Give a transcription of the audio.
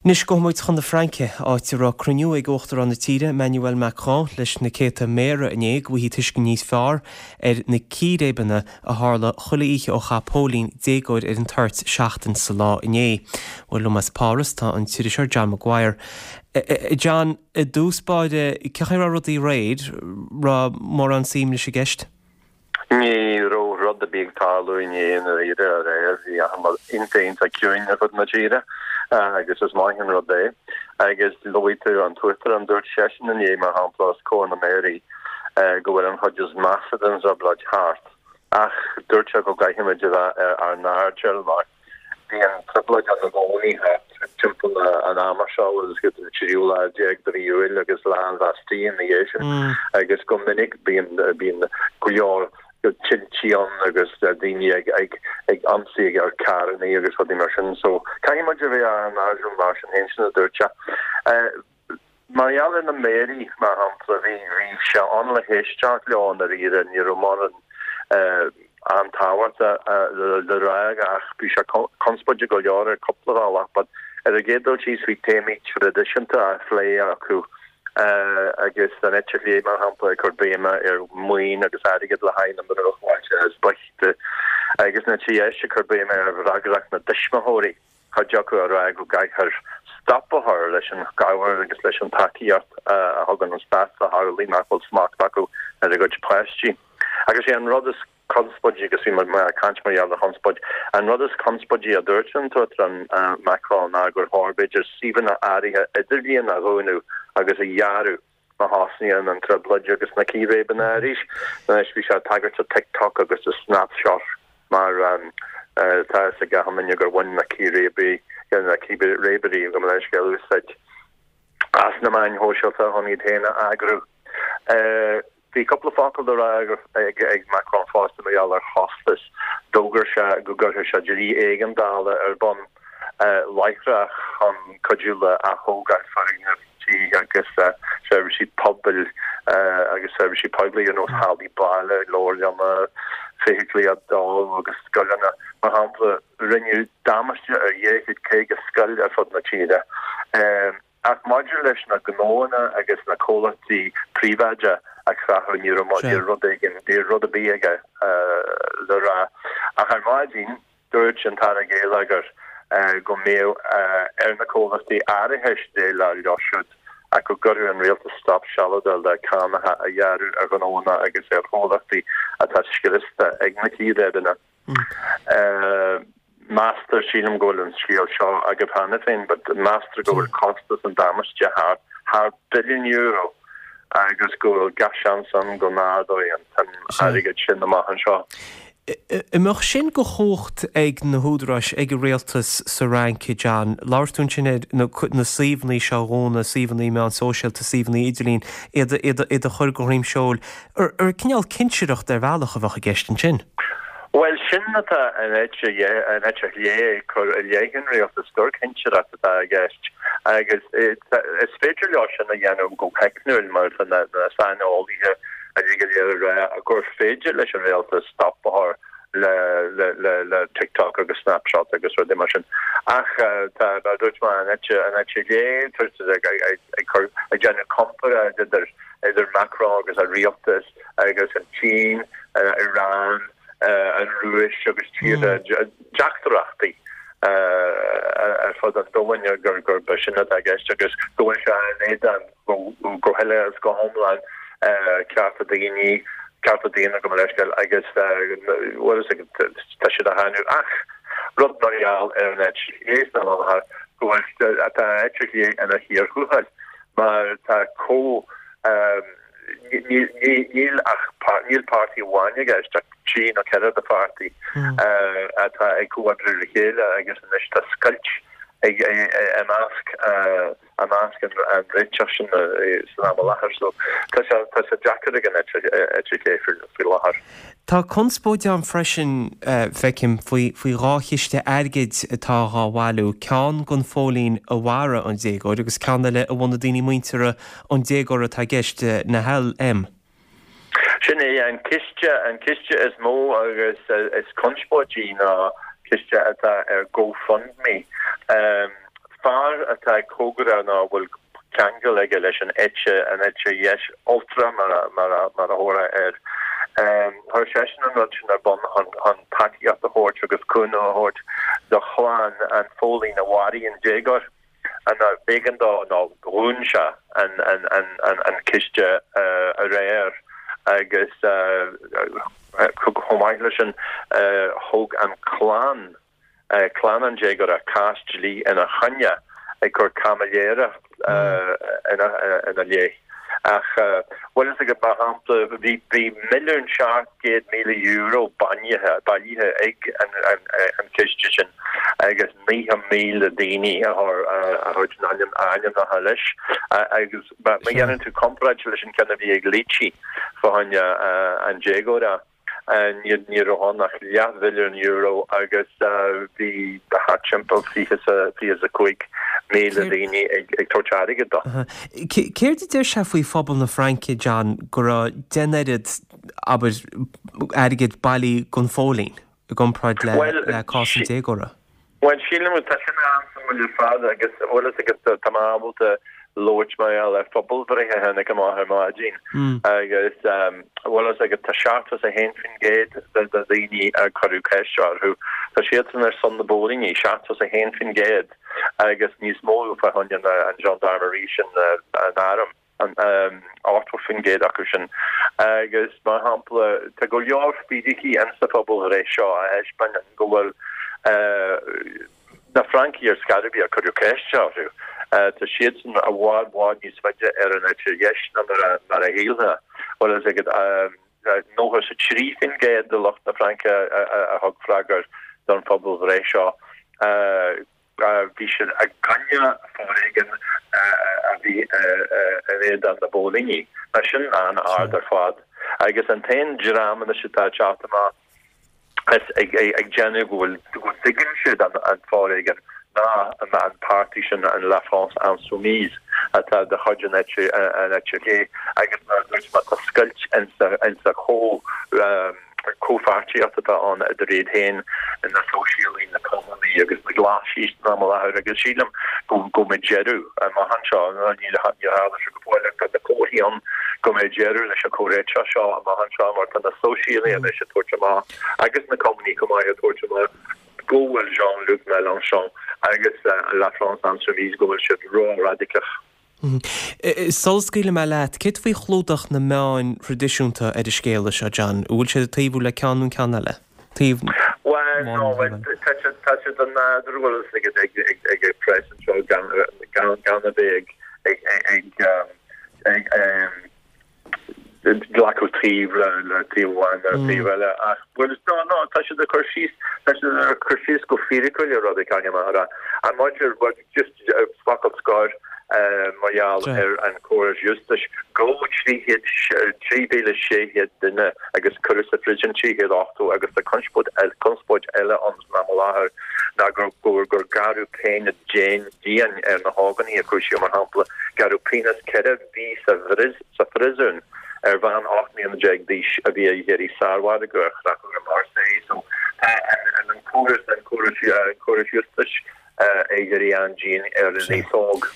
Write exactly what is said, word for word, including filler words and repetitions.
Anois gabhfaidh muid chun na Fraince, áit a raibh cruinniú ag Uachtarán na tíre, Emmanuel Macron, leis na céadta méara inné go bhfaighfí tuiscint níos fearr ar na círéibeanna a tharla chuile oíche ó chaith póilín déagóir ar an toirt seachtain sa lá inné. Bhuel liom as Páras tá an t-iriseoir John Maguire. John, i dtús báire cén chaoi a raibh rudaí aréir raibh mórán suim leis i gceist? Ní raibh rud ar bith ag tarlú inné i ndáiríre aréir bhí iontach iontach ciúin ar fud na tíre agus is maith an rud é. Agus luaigh tú an t-uachtarán dúirt seisean inné mar shampla os comhair na méaraí go bhfuil an chuid is measa den trioblóid thart ach dúirt sé go gcaithfimid a bheith ar ár n-airdeall mar bíonn trioblóid ann i gcónaí timpeall an ama seo agus go an tríú lá déag de mhí Iúil agus lá an Bhastille ina dhiaidh sin agus go minic bíonn bíonn go leor tintí ann agus daoine ag ag ag ionsaí ar carranna agus rudaí mar sin so caithfidh muid a bheith ar ár n-airdeall mar sin féin sin a dúirt sé. Mar gheall ar na méaraí mar shampla bhí bhí sé ann le héisteacht leo i ndáiríre ní raibh mórán an-tábhacht le rá ach bhí sé conspóideach go leor ar cúpla bealach, but ar an gcéad dul síos bhí téamaí traidisiúnta á phlé acu agus an eite chlé mar shampla ag cur béime ar mhaoin agus airgead le haghaidh na mbruachbhailte is boichte agus an eite dheis ag cur béime ar fhreagracht na dtuismitheoirí cuid acu ag rá go gcaithfear stop a chur leis an gcabhair agus leis an tacaíocht a thugann an stát do theaghlaigh nach bhfuil smacht acu ar a gcuid páistí. Agus é an rud is conspóidí agus bhí mé ag caint mar gheall ar chonspóid, an rud is conspóidí a dúirt an tUachtarán Macron ná gur chóir b'fhéidir suíomhanna áirithe idirlíon a dhúnadh agus a ghearradh má thosnaíonn an trioblóid agus na círéibeanna arís. Anois bhí sé ag tagairt do TikTok agus do Snapchat mar tá a fhios ag gach duine gur bhain na círéibeanna na círéibeoirí gabh mo leithscéal úsáid as na meáin shóisialta chun iad féin a eagrú. Bhí cúpla focal le rá ag ag Macron fosta mar gheall ar chostas. D'fhógair sé go gcuirfeadh sé dlí éigeandála ar bun láithreach chun cuidiú le athógáil foirgneamh tí agus seirbhísí pobail agus seirbhísí poiblí ar nós hallaí baile, leabharlanna, feithiclí a dó agus scoileanna. Mar shampla, rinneadh damáiste ar dhá chéad caoga scoil ar fud na tíre. Ach maidir leis na gnóanna agus na comhlachtaí príobháideacha a creathadh ní raibh ní rud éigin ní rud ar bith aige le rá. Ach ar maidin dúirt an tAire Geilleagair go mbeadh ar na comhlachtaí árachais déileáil leo siúd ach go gcuirfeadh an rialtas stop sealadach le cánacha a ghearradh ar ghnóanna agus ar chomhlachtaí atá scriosta ag na círéibeanna. Meastar sílim go bhfuil an scéal seo agaibh cheana féin, but meastar go bhfuil costas an damáiste thar thar billiún euro agus go bhfuil gach seans ann go n-ardóidh an tsuim airgid sin amach anseo. An mbeadh sin de chumhacht ag na húdaráis ag an rialtas sa Fhrainc, John, labhair tú ansin ar na na suíomhanna seo a dhúnadh, suíomhanna meán sóisialta, suíomhanna idirlín, iad iad iad a chur go dhroim seoil. Ar ar cineál cinsireacht ar bhealach a bheadh i gceist ansin? Bhuel sin atá an eite an eite chlé ag cur i leith an rialtas gur cinsireacht atá i gceist agus is féidir leo sin a dhéanamh go teicniúil mar tá na saineolaithe uilig go léir ag rá gur féidir leis an rialtas stop a chur le le le le TikTok agus Snapchat agus rudaí mar sin. Ach tá mar dúirt mé an eite an eite chlé ag ag cur ag déanamh comparáid idir idir Macron agus a rialtas agus an tSín, Iran, an Rúis agus tíortha deachtóireachtaí ar fud an domhain gur gur sin atá i gceist agus go bhfuil sé in éadan go huile is go hiomlán cearta daoine, cearta daonna gabh mo leithscéal agus bhuel tá siad á cháineadh ach rud mar gheall ar an eite chlé san am i láthair go bhfuil tá an eite chlé ina chíor thuathail mar tá comh Níl ach níl páirtí amháin i gceist ach trí nó ceithre de pháirtí atá ag comhoibriú le chéile agus anois tá scoilt ag i measc i measc an réiteach sin san am i láthair so tá sé tá sé deacair ag an eite chlé faoi láthair. Tá conspóid ann freisin, feicim, faoi faoi dhá chiste airgid atá dhá bhailiú, ceann don phóilín a mharaigh an déagóir agus ceann eile a bhfuil na daoine muinteartha an déagóra atá i gceist, Nahel M. Sin é an ciste, an ciste is mó agus is conspóidí ná ciste atá ar GoFundMe. Fear atá cóngarach nó a bhfuil ceangal aige leis an eite, an eite dheis ultra mar a, mar a, mar a thabharfá air. Chuir seisean an rud sin ar bun chun, chun tacaíocht a thabhairt agus cúnamh a thabhairt do chlann an phóilín a mharaigh an déagóir. An b'éigean dó nó dhún sé an, an, an, an, an ciste aréir agus chomh maith leis sin thóg an clann, clann an déagóra cás dlí ina choinne ag cur caimiléireacht ina leith. Ach bhfuil fhios agat, mar shampla, bhí bhí milliún seacht gcéad míle euro bainithe, bailithe ag an an ciste sin agus naocha míle daoine a chuir a chuir a n-ainm a ainmneacha leis agus má dhéanann tú comparáid leis an ceann a bhí ag Leetchi fá choinne an déagóra, ní raibh ann ach leathmhilliún euro agus bhí thart timpeall fiche is a cúig míle daoine ag tabhairt airgead dó. Céard a deir sé faoi phobal na Fraince, John, go raibh deich n-oiread, abair, airgead bailithe don phóilín i gcomparáid le cás an déagóra? Bhuel, sílim, tá sin an-suimiúil ar fad agus bhfuil fhios agat, tá mé ábalta labhairt mar gheall ar phobalbhreith a tháinig amach ar maidin agus bhfuil fhios agat, tá seachtó is a haon faoin gcéad de dhaoine a cuireadh ceist orthu, tá siadsan ar son na bpóilíní, seachtó is a haon faoin gcéad agus níos mó fá choinne an gendarmerie sin, an arm, ochtó faoin gcéad acu sin. Agus mar shampla, tá go leor fíricí insa phobalbhreith seo a thaispeánann go bhfuil na Francaigh ar scor ar bith a cuireadh ceist orthu, tá siadsan i bhfad bhfad níos faide ar an eite dheis ná mar a shílfeá. Bhfuil fhios agat, nócha is a trí faoin gcéad de lucht na Fraince a thug freagra don phobalbhreith seo, bhí siad i gcoinne foréigean a bhí in éadan na bpóilíní. Tá sin an-ard ar fad. Agus an t-aon dream anois atá ag teacht amach is ag déanamh go bhfuil, go dtuigeann siad an foréigean ná an páirtí sin, an La France Insoumise, atá de chuid an eite an eite chlé agus mar a dúirt mé tá scoilt insa chomh comhpháirtíocht atá ann idir iad féin, na Sóisialaigh, na Cumannaigh agus na Glasaigh san am i láthair agus sílim go go mbeidh deireadh amach anseo, níor tharla sé go fóill ach tá na comharthaí ann go mbeidh deireadh leis an chomhréiteach seo amach anseo mar tá na Sóisialaigh anois ag tabhairt amach agus na Cumannaigh chomh maith ag tabhairt amach go bhfuil Jean-Luc Mélenchon agus La France Insoumise go bhfuil siad ró-radacach. Sula scaoilfidh mé leat, céard faoi chlúdach na meáin thraidisiúnta ar an scéala seo, John? An bhfuil siad ag taobhú le ceann nó ceann eile? Taobh Bhuel, no, tá siad tá siad an nádúr bhfuil fhios agat ag ag ag ag press anseo gan gan gan a bheith ag ag ag ag ag glacadh taobh le le taobh amháin nó taobh eile ach bhuel no no tá siad ag cur síos tá siad ag cur síos go fíriciúil ar rudaí caithfidh mé a rá. An maidir bhuel just focal scoir mar gheall ar an córas giúistis gabhadh trí chéad trí mhíle sé chéad duine agus cuireadh sa phríosún trí chéad ochtó agus tá conspóid conspóid eile ann san am i láthair ná gur gur gur gearradh péine dian dian ar na hógánaigh a cúisíodh mar shampla gearradh pionós ceithre mhí sa sa phríosún ar bhean ocht mbliana déag d'aois a bhí ag iarraidh sármhargadh a chreachadh i Marseille. So tá an an córas an córas an córas giúistis ag éirí an-dian ar an aos óg.